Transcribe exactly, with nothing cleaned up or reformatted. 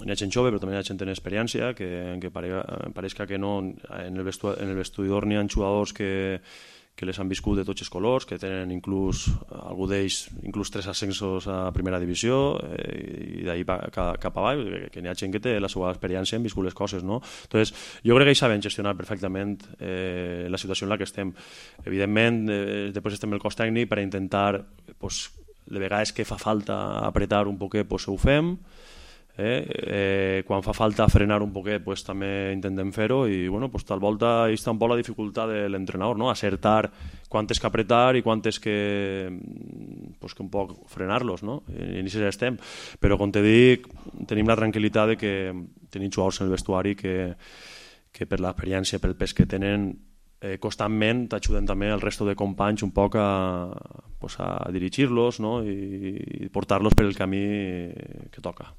hi ha gent jove, però també hi ha gent en experiència, que, que pare, pareixca que no, en el, vestu, en el vestidor n'hi ha jugadors que, que les han viscut de tots els colors, que tenen inclús, algú d'ells, inclús tres ascensos a primera divisió, eh, i d'ahir cap avall, que, que n'hi ha gent que té la seva experiència en viscut les coses, no? Entonces, jo crec que ells saben gestionar perfectament eh, la situació en la que estem. Evidentment, eh, després estem el cos tècnic per intentar, pues, de vegades que fa falta apretar un poquet, pues, ho fem. Eh? Eh, quan fa falta frenar un poquet, pues, també intentem fer-ho, i bueno, pues, tal volta hi està un poc la dificultat de l'entrenador, no? Acertar quantes que apretar i quantes que, pues, que un poc frenar-los, no? I en això estem, però com te dic, tenim la tranquil·litat de que tenim jugadors en el vestuari que, que per l'experiència, pel pes que tenen, eh, constantment t'ajuden també el resto de companys un poc a, pues, a dirigir-los, no? I, i portar-los per el camí que toca.